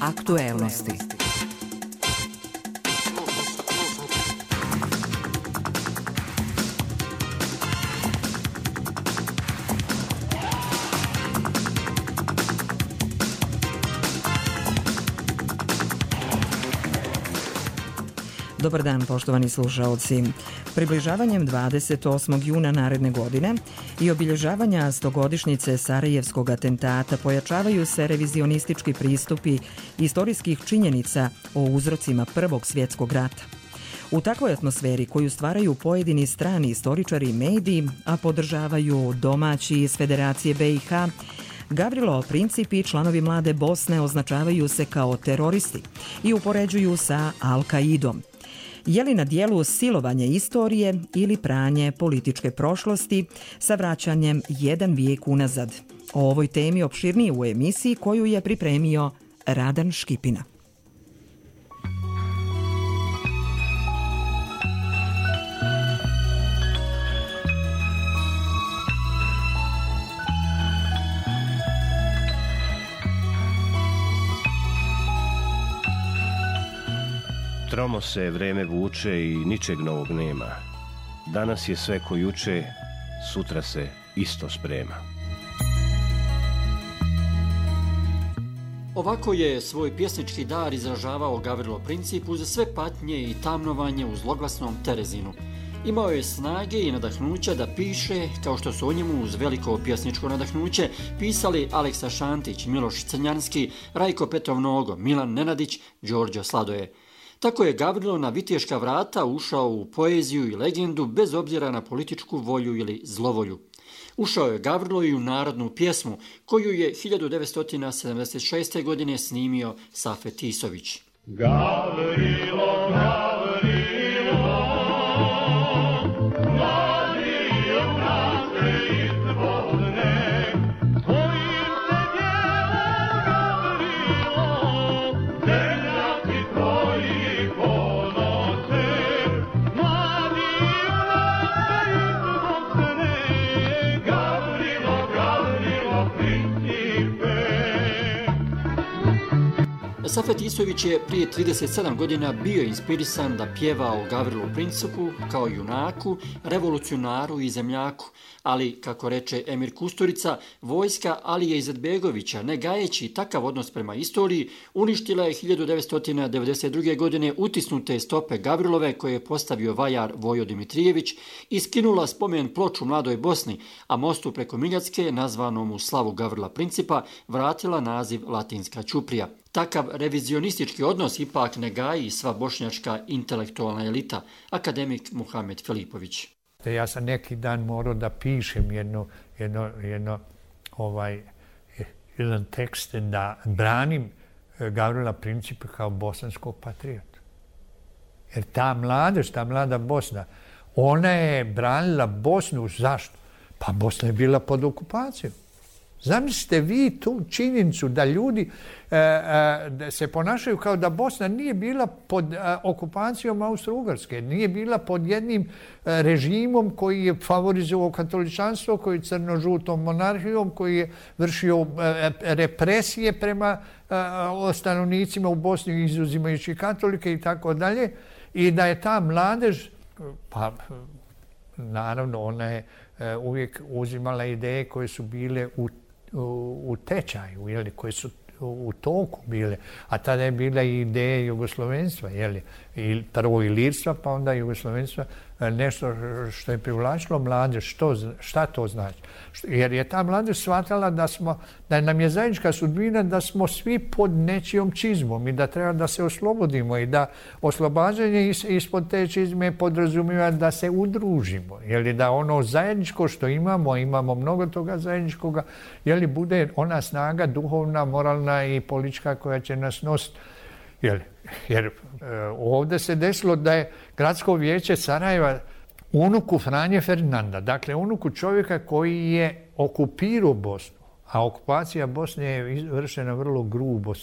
Aktuelnosti. Dobar dan, poštovani slušaoci. Približavanjem 28. juna naredne godine i obilježavanja 100-godišnjice Sarajevskog atentata pojačavaju se revizionistički pristupi istorijskih činjenica o uzrocima Prvog svjetskog rata. U takvoj atmosferi koju stvaraju pojedini strani istoričari i mediji, a podržavaju domaći iz Federacije BiH, Gavrilo Princip i članovi Mlade Bosne označavaju se kao teroristi i upoređuju sa Al-Kaidom. Je li na dijelu silovanje istorije ili pranje političke prošlosti sa vraćanjem jedan vijek unazad? O ovoj temi opširnije u emisiji koju je pripremio Radan Škipina. Tromo se vreme vuče i ničeg novog nema. Danas je sve ko juče, sutra se isto sprema. Ovako je svoj pjesnički dar izražavao Gavrilo Princip uz sve patnje i tamnovanje u zloglasnom Terezinu. Imao je snage i nadahnuća da piše, kao što su o njemu uz veliko pjesničko nadahnuće pisali Aleksa Šantić, Miloš Crnjanski, Rajko Petrov Nogo, Milan Nenadić, Đorđe Sladoje. Tako je Gavrilo na viteška vrata ušao u poeziju i legendu bez obzira na političku volju ili zlovolju. Ušao je Gavrilo i u narodnu pjesmu koju je 1976. godine snimio Safet Isović. Gavrilo, Gavrilo, mladi junače izvodne, tvojim se djelom Gavrilo, zemljaci tvoji ponose, mladi junače izvodne, Gavrilo, Gavrilo, Principe. Safet Isović je prije 37 godina bio inspirisan da pjeva o Gavrilu Principu kao junaku, revolucionaru i zemljaku, ali, kako reče Emir Kusturica, vojska Alije Izetbegovića, ne gajeći takav odnos prema istoriji, uništila je 1992. godine utisnute stope Gavrilove koje je postavio vajar Vojo Dimitrijević i skinula spomen ploču Mladoj Bosni, a mostu preko Miljacke, nazvanom u slavu Gavrila Principa, vratila naziv Latinska ćuprija. Takav revizionistički odnos ipak ne gaji sva bošnjačka intelektualna elita, akademik Muhamed Filipović. Ja sam neki dan morao da pišem jedan tekst da branim Gavrila Principa kao bosanskog patriota. Jer ta mladež, ta mlada Bosna, ona je branila Bosnu. Zašto? Pa Bosna je bila pod okupacijom. Zamislite vi tu činjenicu da ljudi da se ponašaju kao da Bosna nije bila pod okupacijom Austro-Ugarske, nije bila pod jednim režimom koji je favorizovao katoličanstvo, koji je crno-žutom monarhijom, koji je vršio represije prema stanovnicima u Bosni, izuzimajući katolike i tako dalje. I da je ta mladež, pa naravno ona je uvijek uzimala ideje koje su bile u tečaju, jeli, koje su u toku bile, a tada je bila i ideja jugoslovenstva, jeli, i prvo ilirstva, pa onda jugoslovenstva, nešto što je privlačilo mladež. Šta to znači? Jer je ta mladež shvatala da nam je zajednička sudbina da smo svi pod nečijom čizmom i da treba da se oslobodimo i da oslobađanje ispod te čizme podrazumijeva da se udružimo. Jeli, da ono zajedničko što imamo mnogo toga zajedničkoga, jeli, bude ona snaga duhovna, moralna i politička koja će nas nositi. Jer ovdje se desilo da je Gradsko vijeće Sarajeva unuku Franje Ferdinanda, dakle unuku čovjeka koji je okupirao Bosnu, a okupacija Bosne je vršena vrlo grubo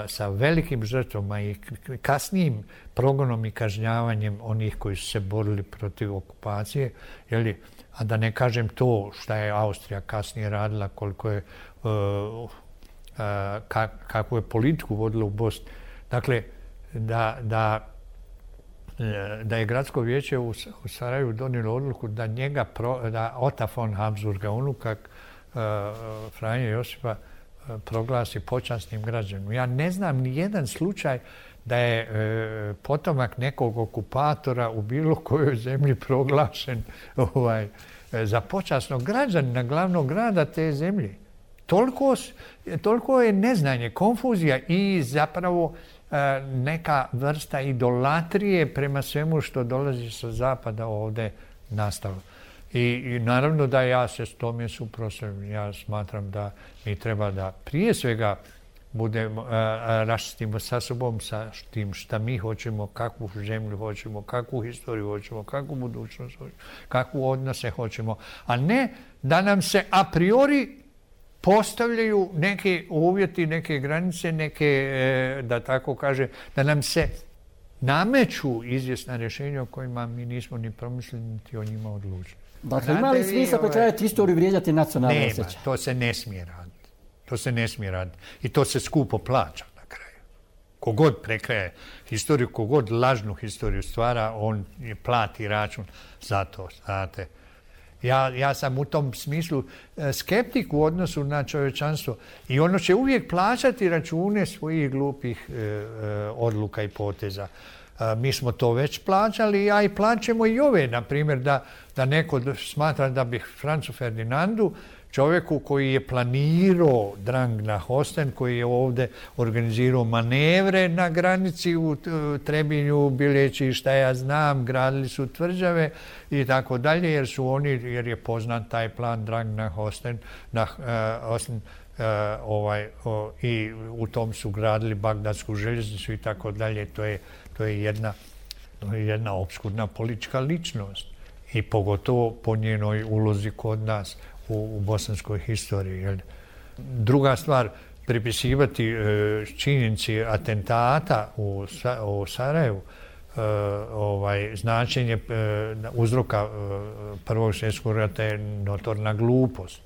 sa velikim žrtvama i kasnijim progonom i kažnjavanjem onih koji su se borili protiv okupacije, a da ne kažem to šta je Austrija kasnije radila, koliko je kakvu je politiku vodila u Bosni. Dakle, da je gradsko vijeće u Sarajevu donijelo odluku da da Ota von Habsburga, unuka Franje Josipa, proglasi počasnim građanom. Ja ne znam ni jedan slučaj da je potomak nekog okupatora u bilo kojoj zemlji proglašen za počasnog građanina glavnog grada te zemlje. Toliko je neznanje, konfuzija i zapravo neka vrsta idolatrije prema svemu što dolazi sa zapada ovdje nastalo. I naravno da ja se s tome suprotstavljam. Ja smatram da mi treba da prije svega raščistimo sa sobom, sa tim šta mi hoćemo, kakvu zemlju hoćemo, kakvu historiju hoćemo, kakvu budućnost hoćemo, kakvu odnose hoćemo, a ne da nam se a priori postavljaju neke uvjeti, neke granice, da tako kaže, da nam se nameću izvjesna rješenja o kojima mi nismo ni promislili, niti o njima odlučili. Dakle, ima li smisla prekrajati istoriju, vrijeđati nacionalne osjećaje? Nema, to se ne smije raditi. To se ne smije raditi. I to se skupo plaća na kraju. Kogod prekraje historiju, kogod lažnu historiju stvara, on plati račun za to, znate. Ja sam u tom smislu skeptik u odnosu na čovječanstvo i ono će uvijek plaćati račune svojih glupih odluka i poteza. Mi smo to već plaćali, a i plaćamo i ove, na primjer, da neko smatra da bi Francu Ferdinandu, čovjeku koji je planirao drang na Hosten, koji je ovdje organizirao manevre na granici u Trebinju, bileći šta ja znam, gradili su tvrđave i tako dalje, jer je poznat taj plan drang na Hosten, i u tom su gradili Bagdadsku željeznicu i tako dalje. To je jedna opskurna politička ličnost i pogotovo po njenoj ulozi kod nas u bosanskoj historiji. Druga stvar, pripisivati činjenici atentata u Sarajevu značenje uzroka Prvog svjetskog rata je notorna glupost.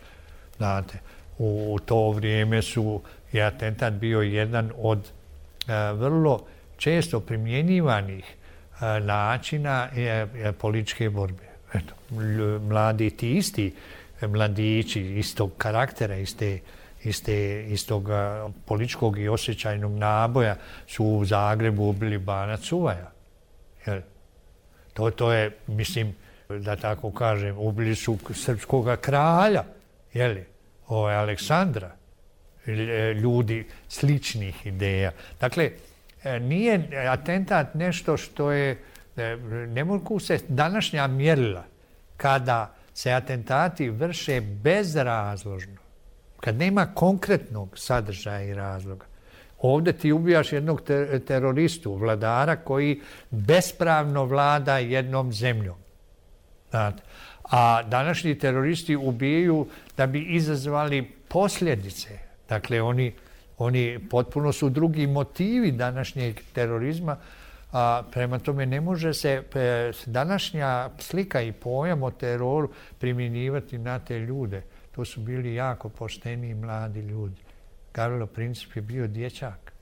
Znate, u to vrijeme je atentat bio jedan od vrlo često primjenjivanih načina političke borbe. Eto, mladi ti isti mladići istog karaktera, istog političkog i osjećajnog naboja su u Zagrebu ubili Bana Cuvaja. To je, mislim, da tako kažem, ubili su srpskog kralja, Aleksandra, ljudi sličnih ideja. Dakle, nije atentat nešto što je, ne mogu se današnja mjerila kada se atentati vrše bezrazložno, kad nema konkretnog sadržaja i razloga. Ovdje ti ubijaš jednog teroristu, vladara koji bespravno vlada jednom zemljom. Znate. A današnji teroristi ubijaju da bi izazvali posljedice. Dakle, oni potpuno su drugi motivi današnjeg terorizma, a prema tome ne može se današnja slika i pojam o teroru primjenjivati na te ljude. To su bili jako pošteni i mladi ljudi. Gavrilo Princip je bio dječak.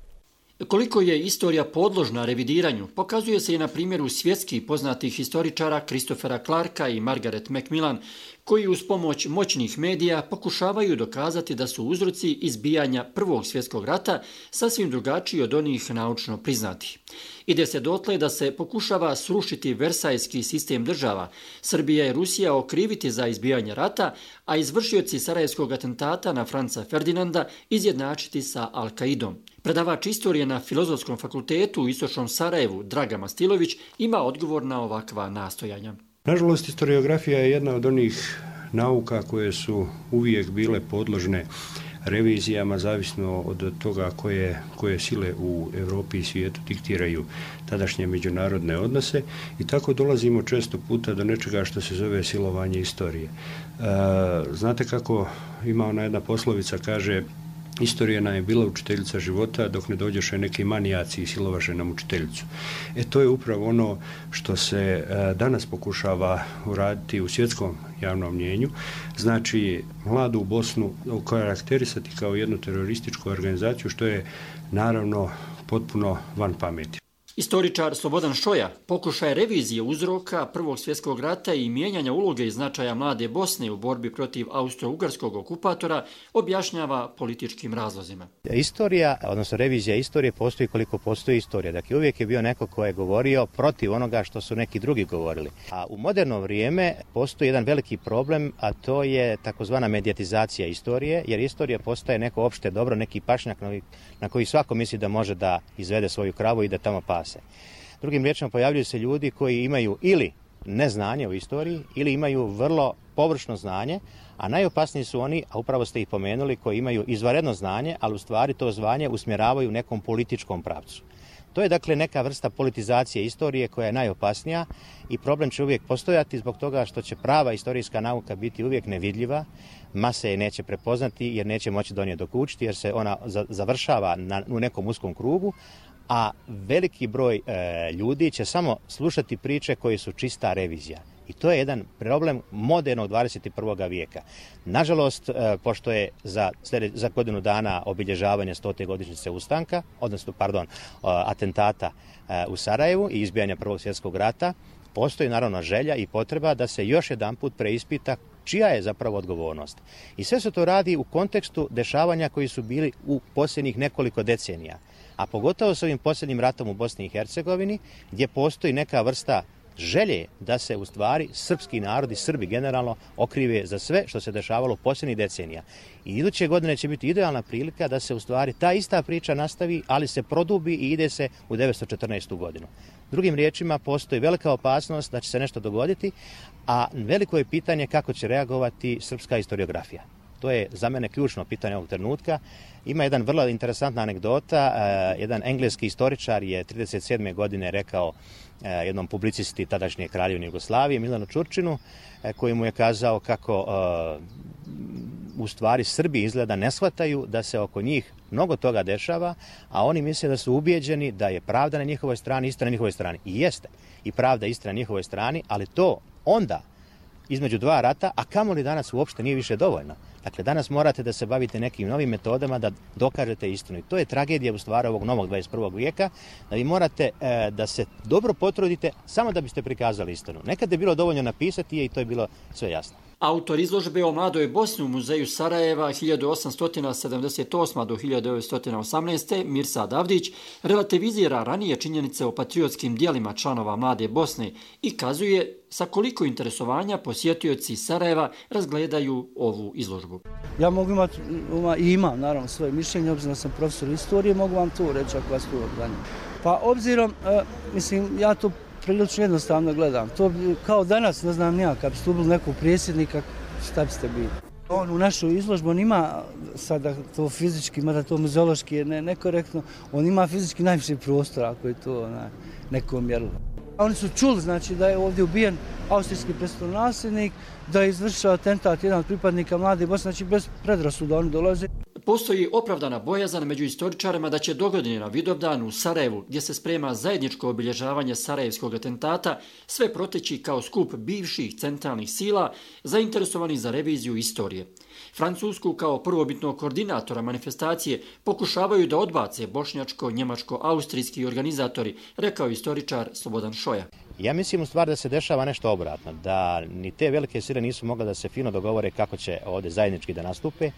Koliko je istorija podložna revidiranju, pokazuje se i na primjeru svjetskih poznatih historičara Christophera Clarka i Margaret Macmillan, koji uz pomoć moćnih medija pokušavaju dokazati da su uzroci izbijanja Prvog svjetskog rata sasvim drugačiji od onih naučno priznatih. Ide se dotle da se pokušava srušiti versajski sistem država, Srbija i Rusija okriviti za izbijanje rata, a izvršioci sarajevskog atentata na Franca Ferdinanda izjednačiti sa Al-Kaidom. Predavač istorije na Filozofskom fakultetu u Istočnom Sarajevu, Draga Mastilović, ima odgovor na ovakva nastojanja. Nažalost, historiografija je jedna od onih nauka koje su uvijek bile podložne revizijama, zavisno od toga koje sile u Europi i svijetu diktiraju tadašnje međunarodne odnose i tako dolazimo često puta do nečega što se zove silovanje istorije. Znate kako ima ona jedna poslovica, kaže Istorija nam je bila učiteljica života dok ne dođeše neki manijaci i silovaše nam učiteljicu. To je upravo ono što se danas pokušava uraditi u svjetskom javnom mnjenju. Znači, mladu Bosnu karakterisati kao jednu terorističku organizaciju, što je naravno potpuno van pameti. Istoričar Slobodan Šoja pokušaj revizije uzroka Prvog svjetskog rata i mijenjanja uloge i značaja mlade Bosne u borbi protiv austro-ugarskog okupatora objašnjava političkim razlozima. Istorija, odnosno revizija istorije postoji koliko postoji istorija. Dakle, uvijek je bio neko ko je govorio protiv onoga što su neki drugi govorili. A u moderno vrijeme postoji jedan veliki problem, a to je takozvana medijatizacija istorije, jer istorija postaje neko opšte dobro, neki pašnjak na koji svako misli da može da izvede svoju kravu i da tamo pase. Drugim riječima, pojavljuju se ljudi koji imaju ili neznanje o istoriji ili imaju vrlo površno znanje, a najopasniji su oni, a upravo ste ih pomenuli, koji imaju izvanredno znanje, ali u stvari to znanje usmjeravaju u nekom političkom pravcu. To je dakle neka vrsta politizacije istorije koja je najopasnija i problem će uvijek postojati zbog toga što će prava istorijska nauka biti uvijek nevidljiva, mase je neće prepoznati jer neće moći do nje dokučiti jer se ona završava u nekom uskom krugu, a veliki broj ljudi će samo slušati priče koje su čista revizija. I to je jedan problem modernog 21. vijeka. Nažalost, pošto je za godinu dana obilježavanje 100. godišnjice ustanka, odnosno, atentata u Sarajevu i izbijanja Prvog svjetskog rata, postoji naravno želja i potreba da se još jedanput preispita čija je zapravo odgovornost. I sve se to radi u kontekstu dešavanja koji su bili u posljednjih nekoliko decenija. A pogotovo s ovim posljednjim ratom u Bosni i Hercegovini, gdje postoji neka vrsta želje da se u stvari srpski narod i Srbi generalno okrive za sve što se dešavalo posljednjih decenija. I iduće godine će biti idealna prilika da se u stvari ta ista priča nastavi, ali se produbi i ide se u 914. godinu. Drugim riječima, postoji velika opasnost da će se nešto dogoditi, a veliko je pitanje kako će reagovati srpska historiografija. To je za mene ključno pitanje ovog trenutka. Ima jedan vrlo interesantna anegdota. Jedan engleski istoričar je 1937. godine rekao jednom publicisti tadašnje Kraljevine Jugoslavije, Milanu Čurčinu, koji mu je kazao kako u stvari Srbi izgleda ne shvataju da se oko njih mnogo toga dešava, a oni misle da su ubijeđeni da je pravda na njihovoj strani, istina na njihovoj strani. I jeste. I pravda i istina na njihovoj strani, ali to onda između dva rata, a kamoli danas uopšte nije više dovoljno. Dakle, danas morate da se bavite nekim novim metodama da dokažete istinu. I to je tragedija u stvari ovog novog 21. vijeka, da vi morate da se dobro potrudite samo da biste prikazali istinu. Nekad je bilo dovoljno napisati i to je bilo sve jasno. Autor izložbe o mladoj Bosni u muzeju Sarajeva 1878. do 1918. Mirsad Avdić relativizira ranije činjenice o patriotskim dijelima članova mlade Bosne i kazuje sa koliko interesovanja posjetioci Sarajeva razgledaju ovu izložbu. Ja mogu imati, imam naravno svoje mišljenje, obzirom da sam profesor istorije, mogu vam to reći ako vas to zanima. Pa obzirom, ja to prilično jednostavno gledam. To kao danas, ne znam nija, kad biste ubili nekog predsjednika, šta biste bili? On u našu izložbu, on ima sada to fizički, mada to muzeološki je nekorektno, on ima fizički najviše prostora, ako je to neko mjerilo. Oni su čuli, znači, da je ovdje ubijen austrijski prestolonasljednik, da je izvršio atentat jedan od pripadnika mlade Bosne, znači bez predrasuda oni dolaze. Postoji opravdana bojazan među istoričarima da će dogodine na Vidovdan u Sarajevu, gdje se sprema zajedničko obilježavanje sarajevskog atentata, sve proteći kao skup bivših centralnih sila zainteresovanih za reviziju istorije. Francusku kao prvobitnog koordinatora manifestacije pokušavaju da odbace bošnjačko-njemačko-austrijski organizatori, rekao istoričar Slobodan Šoja. Ja mislim u stvari da se dešava nešto obratno, da ni te velike sile nisu mogle da se fino dogovore kako će ovdje zajednički da nastupe.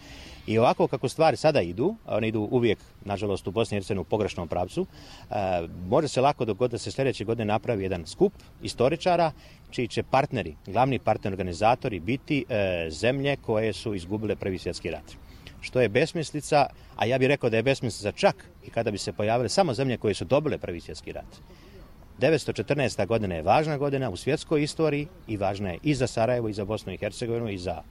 I ovako kako stvari sada idu, one idu uvijek, nažalost, u Bosni i Hercegovini u pogrešnom pravcu, može se lako dogoditi da se sljedeće godine napravi jedan skup istoričara čiji će partneri, glavni partner organizatori biti zemlje koje su izgubile Prvi svjetski rat. Što je besmislica, a ja bih rekao da je besmislica čak i kada bi se pojavile samo zemlje koje su dobile Prvi svjetski rat. 914. godina je važna godina u svjetskoj istoriji i važna je i za Sarajevo, i za Bosnu i Hercegovinu, i za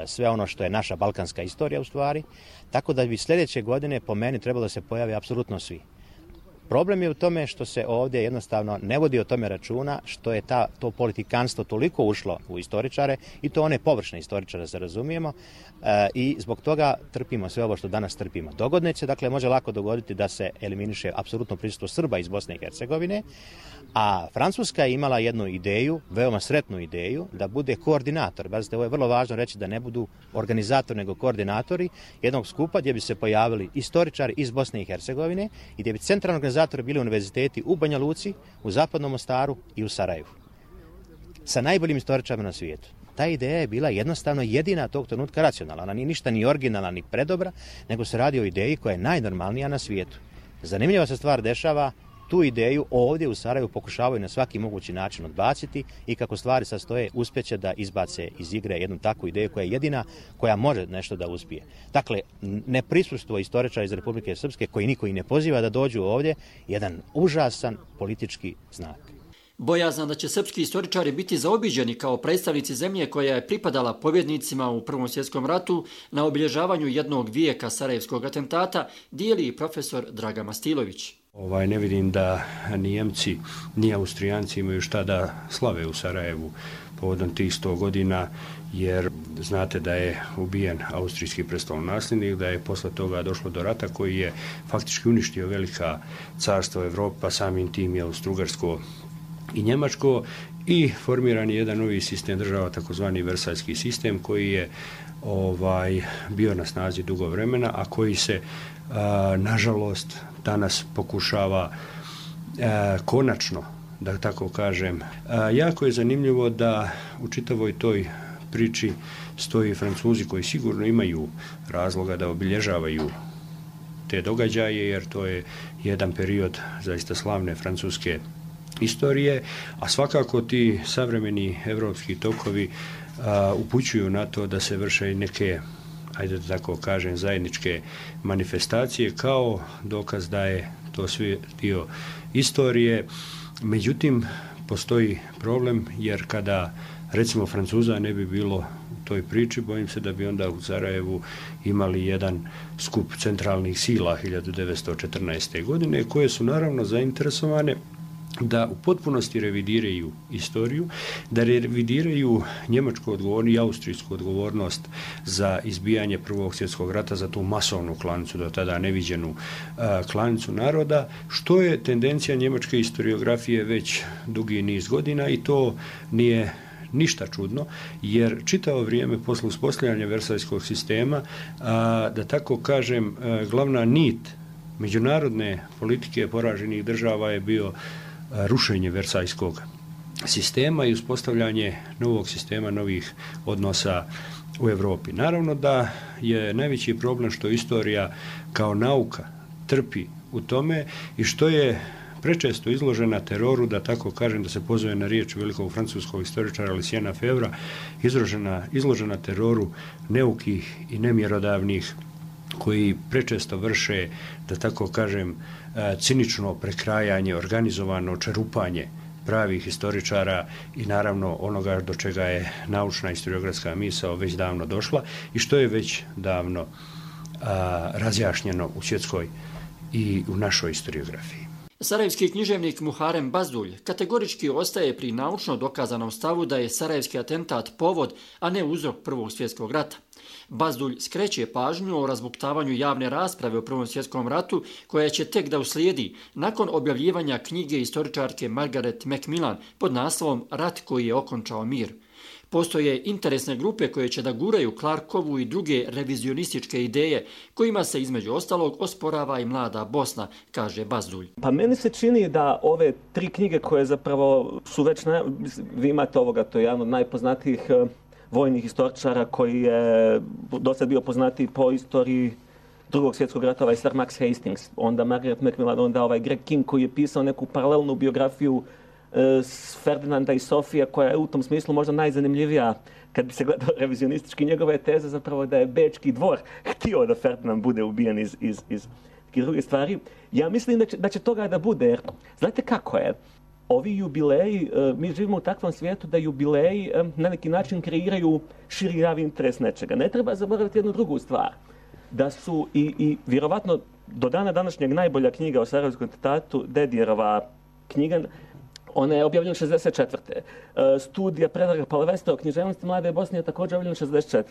sve ono što je naša balkanska istorija u stvari. Tako da bi sljedeće godine po meni trebalo da se pojave apsolutno svi. Problem je u tome što se ovdje jednostavno ne vodi o tome računa, što je to politikanstvo toliko ušlo u istoričare i to one površne istoričare, se razumijemo, i zbog toga trpimo sve ovo što danas trpimo. Dogodne se, dakle, može lako dogoditi da se eliminiše apsolutno prisustvo Srba iz Bosne i Hercegovine, a Francuska je imala jednu ideju, veoma sretnu ideju, da bude koordinator. Bazite, ovo je vrlo važno reći, da ne budu organizatori nego koordinatori jednog skupa gdje bi se pojavili istoričari iz Bosne i Hercegovine i gdje bi centralni organizatori bili univerziteti u Banja Luci, u Zapadnom Mostaru i u Sarajevu. Sa najboljim istoričarima na svijetu. Ta ideja je bila jednostavno jedina tog trenutka racionalna. Ona nije ništa ni originalna, ni predobra, nego se radi o ideji koja je najnormalnija na svijetu. Zanimljiva se stvar dešava, tu ideju ovdje u Sarajevu pokušavaju na svaki mogući način odbaciti i kako stvari sastoje, uspjeće da izbace iz igre jednu takvu ideju koja je jedina koja može nešto da uspije. Dakle, neprisustvo istoričara iz Republike Srpske, koji niko i ne poziva da dođu ovdje, jedan užasan politički znak. Bojazan da će srpski istoričari biti zaobiđeni kao predstavnici zemlje koja je pripadala pobjednicima u Prvom svjetskom ratu na obilježavanju jednog vijeka sarajevskog atentata dijeli i profesor Draga Mastilović. Ne vidim da ni Njemci, ni Austrijanci imaju šta da slave u Sarajevu povodom tih 100 godina, jer znate da je ubijen austrijski prestolonasljednik, da je posle toga došlo do rata koji je faktički uništio velika carstva Evrope, pa samim tim je Austro-Ugarsko i Njemačko, i formiran je jedan novi sistem država, takozvani Versajski sistem, koji je bio na snazi dugo vremena, a koji se nažalost danas pokušava konačno, da tako kažem. Jako je zanimljivo da u čitavoj toj priči stoji Francuzi koji sigurno imaju razloga da obilježavaju te događaje, jer to je jedan period zaista slavne francuske istorije, a svakako ti savremeni evropski tokovi upućuju na to da se vrše i neke, ajde da tako kažem, zajedničke manifestacije kao dokaz da je to sve dio istorije. Međutim, postoji problem, jer kada recimo Francuza ne bi bilo u toj priči, bojim se da bi onda u Sarajevu imali jedan skup centralnih sila 1914. godine, koje su naravno zainteresovane da u potpunosti revidiraju istoriju, da revidiraju njemačku odgovornost i austrijsku odgovornost za izbijanje Prvog svjetskog rata, za tu masovnu klanicu, do tada neviđenu klanicu naroda, što je tendencija njemačke historiografije već dugi niz godina, i to nije ništa čudno, jer čitavo vrijeme posle uspostavljanja Versajskog sistema, da tako kažem, glavna nit međunarodne politike poraženih država je bio rušenje Versajskog sistema i uspostavljanje novog sistema, novih odnosa u Evropi. Naravno da je najveći problem što istorija kao nauka trpi u tome i što je prečesto izložena teroru, da tako kažem, da se pozove na riječ velikog francuskog istoričara Luciena Febvra, izložena teroru neukih i nemjerodavnih koji prečesto vrše, da tako kažem, cinično prekrajanje, organizovano čerupanje pravih historičara i naravno onoga do čega je naučna historiografska misao već davno došla i što je već davno razjašnjeno u svjetskoj i u našoj historiografiji. Sarajevski književnik Muharem Bazdulj kategorički ostaje pri naučno dokazanom stavu da je sarajevski atentat povod, a ne uzrok Prvog svjetskog rata. Bazdulj skreće pažnju o razbuktavanju javne rasprave o Prvom svjetskom ratu, koja će tek da uslijedi nakon objavljivanja knjige istoričarke Margaret Macmillan pod naslovom Rat koji je okončao mir. Postoje interesne grupe koje će da guraju Clarkovu i druge revizionističke ideje, kojima se između ostalog osporava i mlada Bosna, kaže Bazdulj. Pa meni se čini da ove 3 knjige koje zapravo su već, vi imate ovoga, to je jedan od najpoznatijih vojnih historičara koji je dosta bio poznatiji po istoriji Drugog svjetskog rata, Sir Max Hastings, onda Margaret Macmillan, onda Greg King koji je pisao neku paralelnu biografiju Ferdinanda i Sofije, koja je u tom smislu možda najzanimljivija kad bi se gledao revizionistički. Njegove teze zapravo da je Bečki dvor htio da Ferdinand bude ubijen iz druge stvari. Ja mislim da će toga da bude, jer znate kako je? Ovi jubileji, mi živimo u takvom svijetu da jubileji na neki način kreiraju širi javni interes nečega. Ne treba zaboraviti jednu drugu stvar, da su i vjerovatno do dana današnjeg najbolja knjiga o Sarajevskom atentatu, Dedijerova knjiga, ona je objavljena 64. Studija Predraga Palavesta o književnosti Mlade Bosne je također objavljena 64.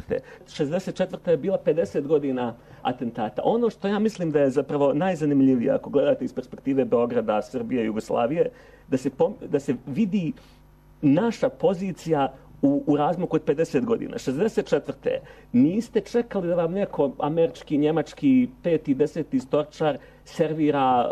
64. je bila 50 godina atentata. Ono što ja mislim da je zapravo najzanimljivije, ako gledate iz perspektive Beograda, Srbije, Jugoslavije, da se vidi naša pozicija u razmaku od 50 godina. 64. niste čekali da vam neko američki, njemački, 5. 10. storčar servira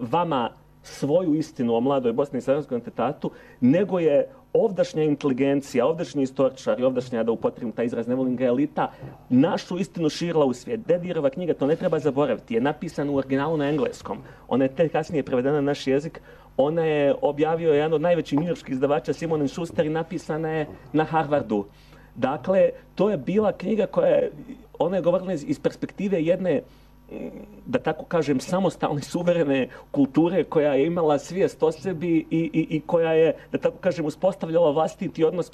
vama svoju istinu o mladoj Bosni i Sarajevskom atentatu, nego je ovdašnja inteligencija, ovdašnji istoričar i ovdašnja, da upotrebim taj izraz, ne volim ga, elita, našu istinu širila u svijet. Dedijerova knjiga, to ne treba zaboraviti, je napisana u originalu na engleskom. Ona je tek kasnije prevedena na naš jezik. Ona je objavio jedan od najvećih njujorških izdavača, Simon & Schuster, i napisana je na Harvardu. Dakle, to je bila knjiga koja je, ona je govorila iz perspektive jedne, da tako kažem, samostalne, suverene kulture koja je imala svijest o sebi i koja je, da tako kažem, uspostavljala vlastiti odnos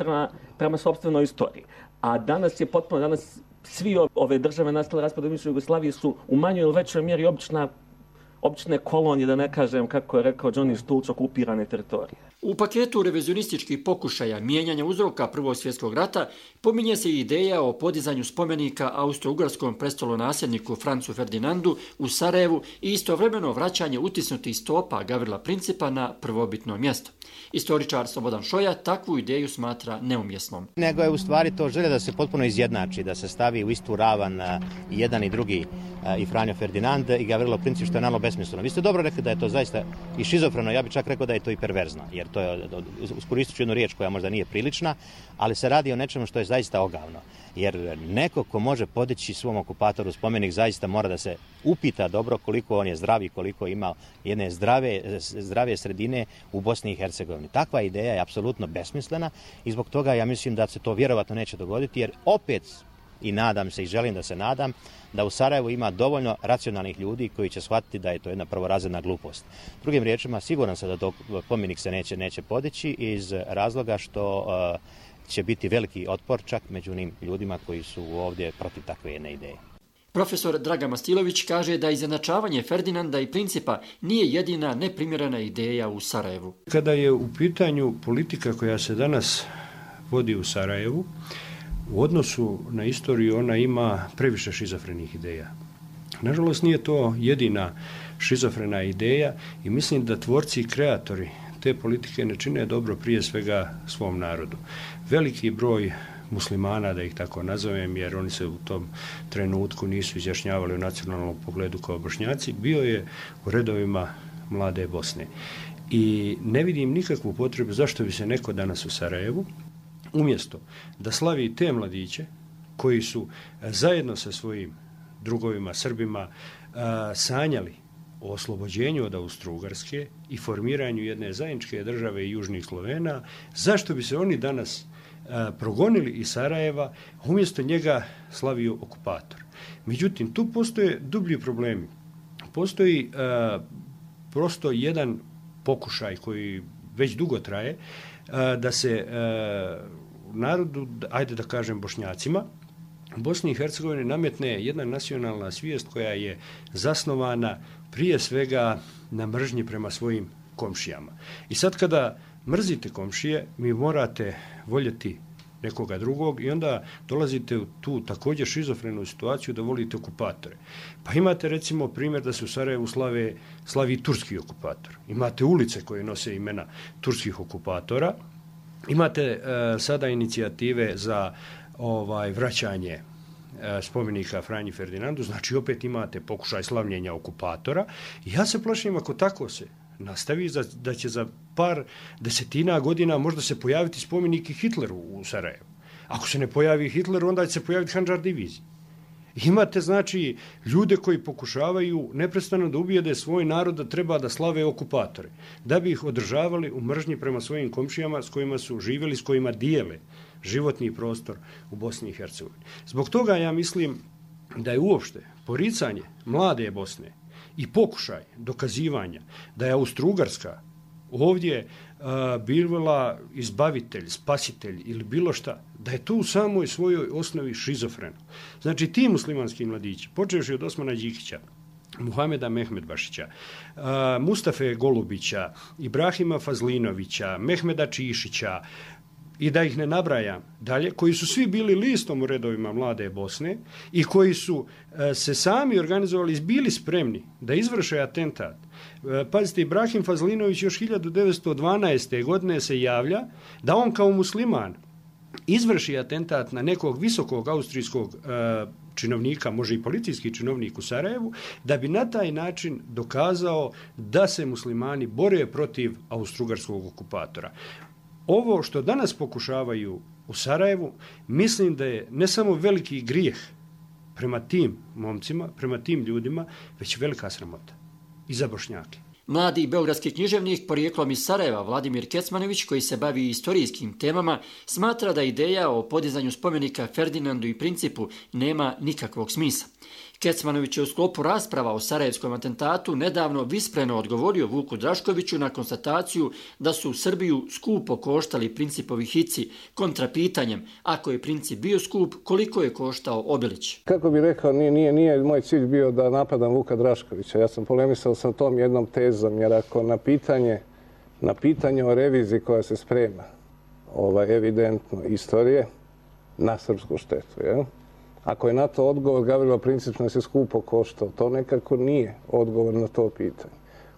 prema sopstvenoj istoriji. A danas je potpuno, danas svi ove države nastale raspadom bivše Jugoslavije su u manjoj ili većoj mjeri obične kolonije, da ne kažem, kako je rekao Johnny Stulc, okupirane teritorije. U paketu revizionističkih pokušaja mijenjanja uzroka Prvog svjetskog rata pominje se i ideja o podizanju spomenika austro-ugarskom prestolonasljedniku Francu Ferdinandu u Sarajevu i istovremeno vraćanje utisnutih stopa Gavrila Principa na prvobitno mjesto. Istoričar Slobodan Šoja takvu ideju smatra neumjesnom. Nego je u stvari to želja da se potpuno izjednači, da se stavi u istu ravan i jedan i drugi, i Franjo Ferdinand i Gavrilo Princip, što je naravno besmisleno. Vi ste dobro rekli da je to zaista i šizofreno, ja bih čak rekao da je to i perverzno, jer to je, iskoristit ću jednu riječ koja možda nije prilična, ali se radi o nečemu što je zaista ogavno. Jer neko ko može podići svom okupatoru spomenik zaista mora da se upita dobro koliko on je zdrav i koliko ima jedne zdrave sredine u Bosni i Hercegovini. Takva ideja je apsolutno besmislena i zbog toga ja mislim da se to vjerovatno neće dogoditi, jer opet, i nadam se i želim da se nadam, da u Sarajevu ima dovoljno racionalnih ljudi koji će shvatiti da je to jedna prvorazredna glupost. Drugim riječima, siguran sam da to spomenik se neće podići iz razloga što će biti veliki otpor čak među onim ljudima koji su ovdje protiv takve jedne ideje. Profesor Dragan Mastilović kaže da izjednačavanje Ferdinanda i Principa nije jedina neprimjerena ideja u Sarajevu. Kada je u pitanju politika koja se danas vodi u Sarajevu, u odnosu na istoriju ona ima previše šizofrenih ideja. Nažalost, nije to jedina šizofrena ideja i mislim da tvorci i kreatori te politike ne čine dobro prije svega svom narodu. Veliki broj muslimana, da ih tako nazovem, jer oni se u tom trenutku nisu izjašnjavali u nacionalnom pogledu kao Bošnjaci, bio je u redovima Mlade Bosne. I ne vidim nikakvu potrebu zašto bi se neko danas u Sarajevu, umjesto da slavi te mladiće koji su zajedno sa svojim drugovima, Srbima, sanjali o oslobođenju od Austro-Ugarske i formiranju jedne zajedničke države i južnih Slovena, zašto bi se oni danas progonili iz Sarajeva, umjesto njega slavio okupator. Međutim, tu postoje dublji problemi. Postoji prosto jedan pokušaj koji već dugo traje, da se narodu, ajde da kažem Bošnjacima, u Bosni i Hercegovini nametne jedna nacionalna svijest koja je zasnovana prije svega na mržnji prema svojim komšijama. I sad kada mrzite komšije, mi morate voljeti nekoga drugog i onda dolazite u tu također šizofrenu situaciju da volite okupatore. Pa imate recimo primjer da se u Sarajevu slavi turski okupator. Imate ulice koje nose imena turskih okupatora. Imate sada inicijative za vraćanje spomenika Franji Ferdinandu, znači opet imate pokušaj slavljenja okupatora. I ja se plašim ako tako se nastavi da će za par desetina godina možda se pojaviti spomenik i Hitleru u Sarajevu. Ako se ne pojavi Hitler, onda će se pojaviti Handžar divizija. Imate, znači, ljude koji pokušavaju neprestano da ubijede svoj narod da treba da slave okupatore, da bi ih održavali u mržnji prema svojim komšijama s kojima su živjeli, s kojima dijele životni prostor u Bosni i Hercegovini. Zbog toga ja mislim da je uopšte poricanje Mlade Bosne i pokušaj dokazivanja da je Austro-Ugarska ovdje bila izbavitelj, spasitelj ili bilo šta, da je to u samoj svojoj osnovi šizofreno. Znači ti muslimanski mladići, počevši od Osmana Đikića, Muhameda Mehmedbašića, Mustafe Golubića, Ibrahima Fazlinovića, Mehmeda Čišića i da ih ne nabrajam dalje, koji su svi bili listom u redovima Mlade Bosne i koji su se sami organizovali, bili spremni da izvrše atentat. Pazite, Ibrahim Fazlinović još 1912. godine se javlja da on kao musliman izvrši atentat na nekog visokog austrijskog činovnika, može i policijski činovnik u Sarajevu, da bi na taj način dokazao da se muslimani bore protiv austrougarskog okupatora. Ovo što danas pokušavaju u Sarajevu, mislim da je ne samo veliki grijeh prema tim momcima, prema tim ljudima, već velika sramota i za Bošnjake. Mladi beogradski književnik porijeklom iz Sarajeva Vladimir Kecmanović, koji se bavi istorijskim temama, smatra da ideja o podizanju spomenika Ferdinandu i Principu nema nikakvog smisla. Kecmanović je u sklopu rasprava o sarajevskom atentatu nedavno vispreno odgovorio Vuku Draškoviću na konstataciju da su u Srbiju skupo koštali Principovi hici, kontra pitanjem, ako je Princip bio skup, koliko je koštao Obilić. Kako bi rekao, nije moj cilj bio da napadam Vuka Draškovića. Ja sam polemisao sa tom jednom tezom, jer ako na pitanje o reviziji koja se sprema, evidentno istorije, na srpsku štetu, jel? Ako je na to odgovor Gavrilo Princip nas je skupo koštao, to nekako nije odgovor na to pitanje.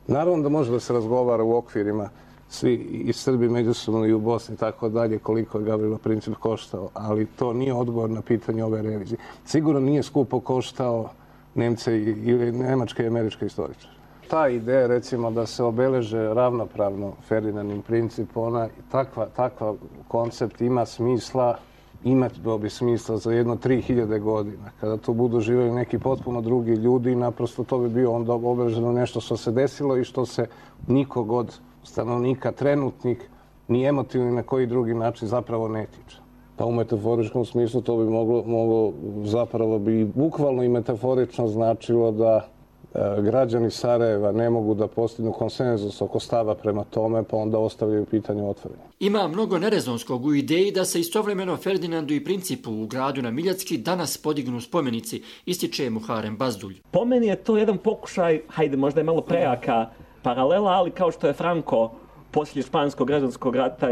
Naravno da može da se razgovara u okvirima svi i Srbi međusobno i u Bosni i tako dalje koliko je Gavrilo Princip koštao, ali to nije odgovor na pitanje ove revizije. Sigurno nije skupo koštao Nemce ili nemačke i američke istoričare. Ta ideja, recimo, da se obeleže ravnopravno Ferdinand i Princip, takva koncept ima smisla, imati bi smisla za jedno 3000 godina. Kada tu budu živjeli neki potpuno drugi ljudi, naprosto to bi bio onda obeleženo nešto što se desilo i što se nikog od stanovnika trenutnih ni emotivno ni na koji drugi način zapravo ne tiče. Pa u metaforičkom smislu to bi moglo zapravo bi bukvalno i metaforično značilo da građani Sarajeva ne mogu da postignu konsenzus oko stava prema tome, pa onda ostavljaju pitanje otvoreno. Ima mnogo nerezonskog u ideji da se istovremeno Ferdinandu i Principu u gradu na Miljacki danas podignu spomenici, ističe Muharem Bazdulj. Po meni je to jedan pokušaj, hajde možda je malo prejaka paralela, ali kao što je Franco poslije španskog građanskog rata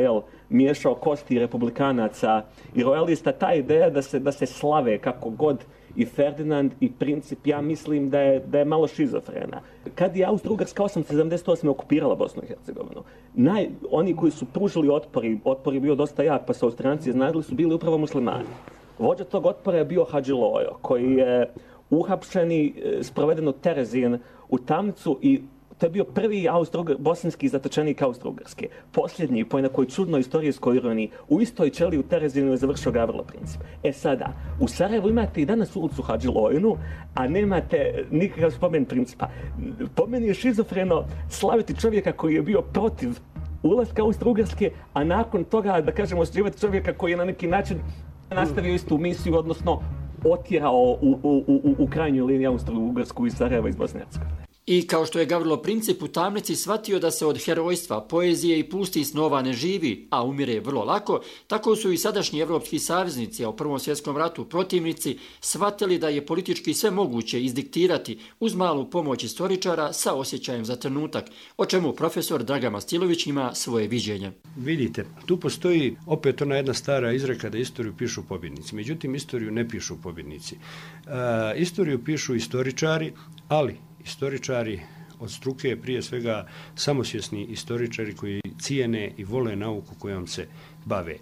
miješao kosti republikanaca i rojalista, ta ideja da se slave kako god i Ferdinand i Princip, ja mislim da je malo šizofrena. Kad je Austro-Ugarska 1878. okupirala Bosnu i Hercegovinu, oni koji su pružili otpor je bio dosta jak, pa su Austrijanci iznadili, su bili upravo muslimani. Vođa tog otpora je bio Hadži Lojo, koji je uhapšen i sproveden u Terezin u tamnicu i to je bio prvi bosanski zatočenik Austro-Ugarske. Posljednji, po nekoj čudnoj istorijskoj ironiji, u istoj ćeliji u Terezinu je završio Gavrilo Princip. Sada, u Sarajevu imate i danas ulicu Hadži Lojinu, a nemate nikakav spomen Principa. Po meni je šizofreno slaviti čovjeka koji je bio protiv ulaska Austro-Ugarske, a nakon toga, da kažemo, osjećivati čovjeka koji je na neki način nastavio istu misiju, odnosno otjerao u krajnjoj liniji Austro-Ugarsku iz Sarajeva iz Bosne i Hercegovine. I kao što je Gavrilo Princip u tamnici shvatio da se od herojstva, poezije i pustih snova ne živi, a umire vrlo lako, tako su i sadašnji evropski saveznici, a u Prvom svjetskom ratu protivnici, shvatili da je politički sve moguće izdiktirati uz malu pomoć istoričara sa osjećajem za trenutak, o čemu profesor Dragan Mastilović ima svoje viđenje. Vidite, tu postoji opet ona jedna stara izreka da istoriju pišu pobjednici. Međutim, istoriju ne pišu pobjednici. Istoriju pišu istoričari, ali istoričari od struke, prije svega samosvjesni istoričari koji cijene i vole nauku kojom se bave.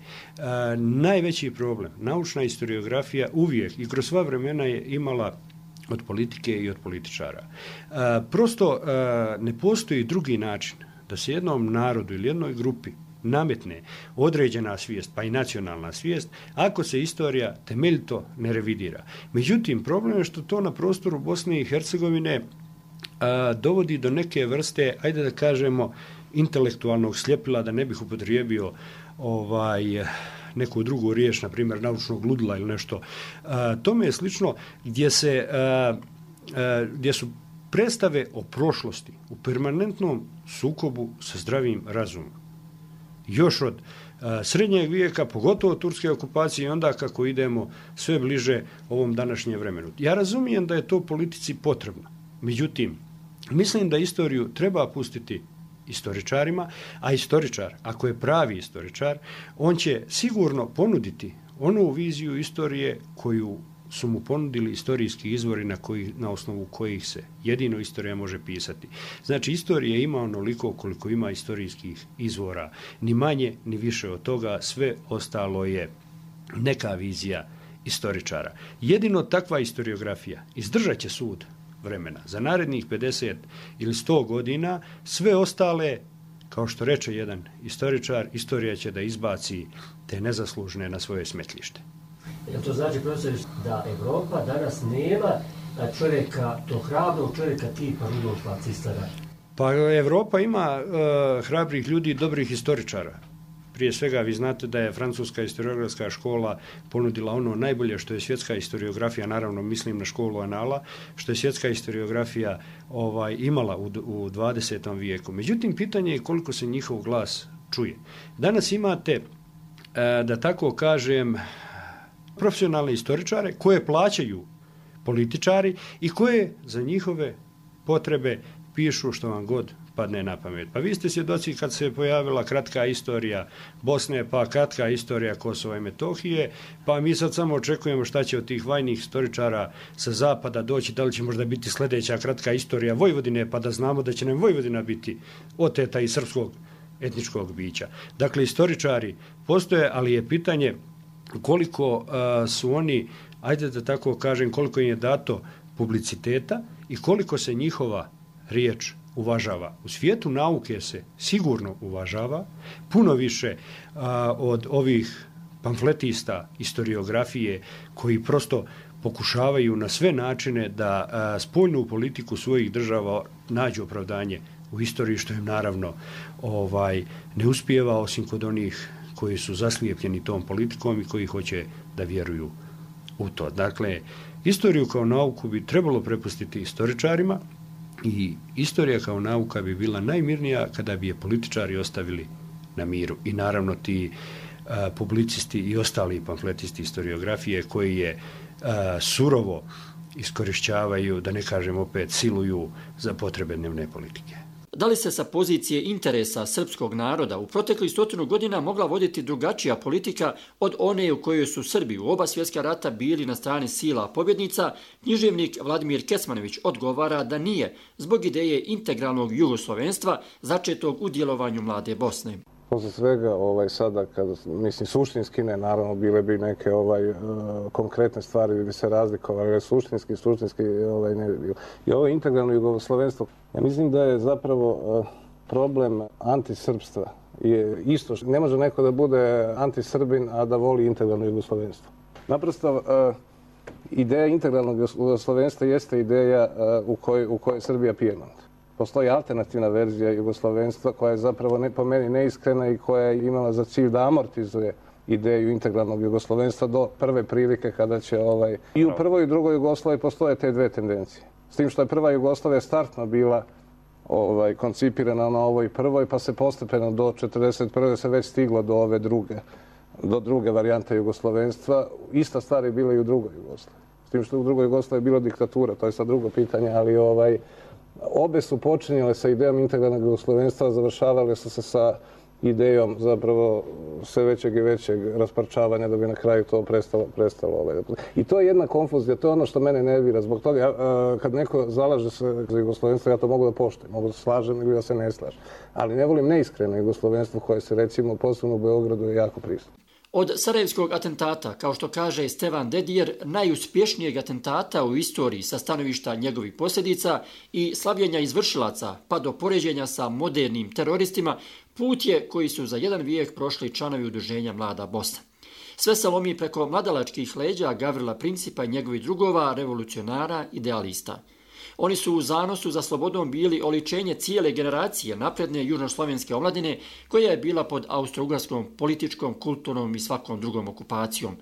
Najveći problem, naučna historiografija uvijek i kroz sva vremena je imala od politike i od političara. Prosto ne postoji drugi način da se jednom narodu ili jednoj grupi nametne određena svijest, pa i nacionalna svijest, ako se istorija temeljito ne revidira. Međutim, problem je što to na prostoru Bosne i Hercegovine dovodi do neke vrste, ajde da kažemo, intelektualnog sljepila, da ne bih upotrijebio neku drugu riječ, na primjer naučnog ludila ili nešto. Tome je slično gdje su predstave o prošlosti u permanentnom sukobu sa zdravim razumom. Još od srednjeg vijeka, pogotovo turske okupacije i onda kako idemo sve bliže ovom današnjem vremenu. Ja razumijem da je to politici potrebno. Međutim, mislim da istoriju treba pustiti istoričarima, a istoričar, ako je pravi istoričar, on će sigurno ponuditi onu viziju istorije koju su mu ponudili istorijski izvori na osnovu kojih se jedino istorija može pisati. Znači, istorija ima onoliko koliko ima istorijskih izvora, ni manje, ni više od toga, sve ostalo je neka vizija istoričara. Jedino takva historiografija izdržat će sud vremena. Za narednih 50 ili 100 godina sve ostale, kao što reče jedan istoričar, istorija će da izbaci te nezaslužne na svoje smetlište. Jel to znači, profesor, da Evropa danas nema čovjeka, tog hrabrog čovjeka tipa Rudolfa Cislara? Pa Evropa ima hrabrih ljudi, dobrih historičara. Prije svega, vi znate da je francuska historiografska škola ponudila ono najbolje što je svjetska historiografija, naravno mislim na školu Anala, što je svjetska historiografija imala u 20. vijeku. Međutim, pitanje je koliko se njihov glas čuje. Danas imate, da tako kažem, profesionalne historičare koje plaćaju političari i koje za njihove potrebe pišu što vam god padne na pamet. Pa vi ste svjedoci kad se pojavila kratka istorija Bosne, pa kratka istorija Kosova i Metohije, pa mi sad samo očekujemo šta će od tih vajnih historičara sa zapada doći, da li će možda biti sljedeća kratka istorija Vojvodine, pa da znamo da će nam Vojvodina biti oteta iz srpskog etničkog bića. Dakle, historičari postoje, ali je pitanje koliko su oni, ajde da tako kažem, koliko im je dato publiciteta i koliko se njihova riječ uvažava. U svijetu nauke se sigurno uvažava, puno više od ovih pamfletista historiografije koji prosto pokušavaju na sve načine da spoljnu politiku svojih država nađu opravdanje u istoriji, što im naravno ne uspijeva, osim kod onih koji su zaslijepljeni tom politikom i koji hoće da vjeruju u to. Dakle, istoriju kao nauku bi trebalo prepustiti istoričarima i istorija kao nauka bi bila najmirnija kada bi je političari ostavili na miru. I naravno ti publicisti i ostali pamfletisti historiografije koji je surovo iskorišćavaju, da ne kažem opet, siluju za potrebe dnevne politike. Da li se sa pozicije interesa srpskog naroda u proteklih 100 godina mogla voditi drugačija politika od one u kojoj su Srbi u oba svjetska rata bili na strani sila pobjednica, književnik Vladimir Kecmanović odgovara da nije, zbog ideje integralnog jugoslovenstva začetog u djelovanju Mlade Bosne. Posle svega, sada, mislim, suštinski ne, naravno, bile bi neke konkretne stvari bi se razlikovali, ali suštinski ne bi bilo. I ovo integralno jugoslovenstvo, ja mislim da je zapravo problem antisrpstva. Isto, ne može neko da bude antisrbin, a da voli integralno jugoslovenstvo. Naprosto, ideja integralnog jugoslovenstva jeste ideja u kojoj Srbija pijemont. Postoji alternativna verzija jugoslovenstva koja je zapravo po meni neiskrena i koja je imala za cilj da amortizuje ideju integralnog jugoslovenstva do prve prilike kada će i u prvoj i drugoj Jugoslaviji postoje te dve tendencije. S tim što je prva Jugoslavija startno bila koncipirana na ovoj prvoj, pa se postepeno do 1941. se već stiglo do ove druge varijante jugoslovenstva. Ista stvar je bila i u drugoj Jugoslaviji. S tim što u drugoj Jugoslaviji je bila diktatura, to je sad drugo pitanje, ali obe su počinjale sa idejom integralnog jugoslovenstva, završavale su se sa idejom zapravo sve većeg i većeg rasparčavanja da bi na kraju to prestalo. I to je jedna konfuzija, to je ono što mene nervira. Zbog toga, kad neko zalaže se za jugoslovenstvo, ja to mogu da poštujem, mogu da se slažem ili da se ne slažem. Ali ne volim neiskreno jugoslovenstvo koje se, recimo, posebno u Beogradu je jako prisutno. Od sarajevskog atentata, kao što kaže Stevan Dedijer, najuspješnijeg atentata u istoriji sa stanovišta njegovih posljedica i slavljenja izvršilaca, pa do poređenja sa modernim teroristima, put je koji su za jedan vijek prošli članovi udruženja Mlada Bosna. Sve se lomi preko mladalačkih leđa Gavrila Principa i njegovih drugova, revolucionara, idealista. Oni su u zanosu za slobodom bili oličenje cijele generacije napredne južnoslovenske omladine koja je bila pod austro-ugarskom političkom, kulturnom i svakom drugom okupacijom.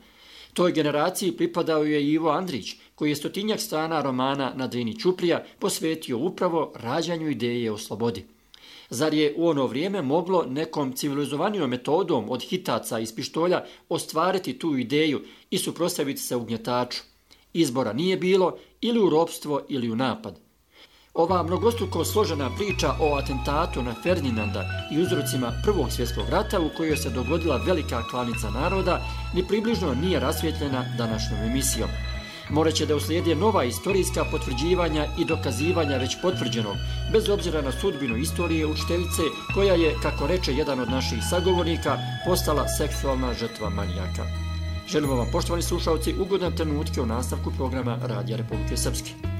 Toj generaciji pripadao je Ivo Andrić, koji je 100 strana romana Na Drini Ćuprija posvetio upravo rađanju ideje o slobodi. Zar je u ono vrijeme moglo nekom civilizovanijom metodom od hitaca iz pištolja ostvariti tu ideju i suprotstaviti se ugnjetaču? Izbora nije bilo, ili u ropstvo ili u napad. Ova mnogostruko složena priča o atentatu na Ferdinanda i uzrocima Prvog svjetskog rata u kojoj se dogodila velika klanica naroda ni približno nije rasvjetljena današnjom emisijom. Moraće da uslijede nova istorijska potvrđivanja i dokazivanja već potvrđenog, bez obzira na sudbinu istorije učiteljice koja je, kako reče jedan od naših sagovornika, postala seksualna žrtva manijaka. Želimo vam, poštovani slušalci, ugodan trenutke u nastavku programa Radija Republike Srpske.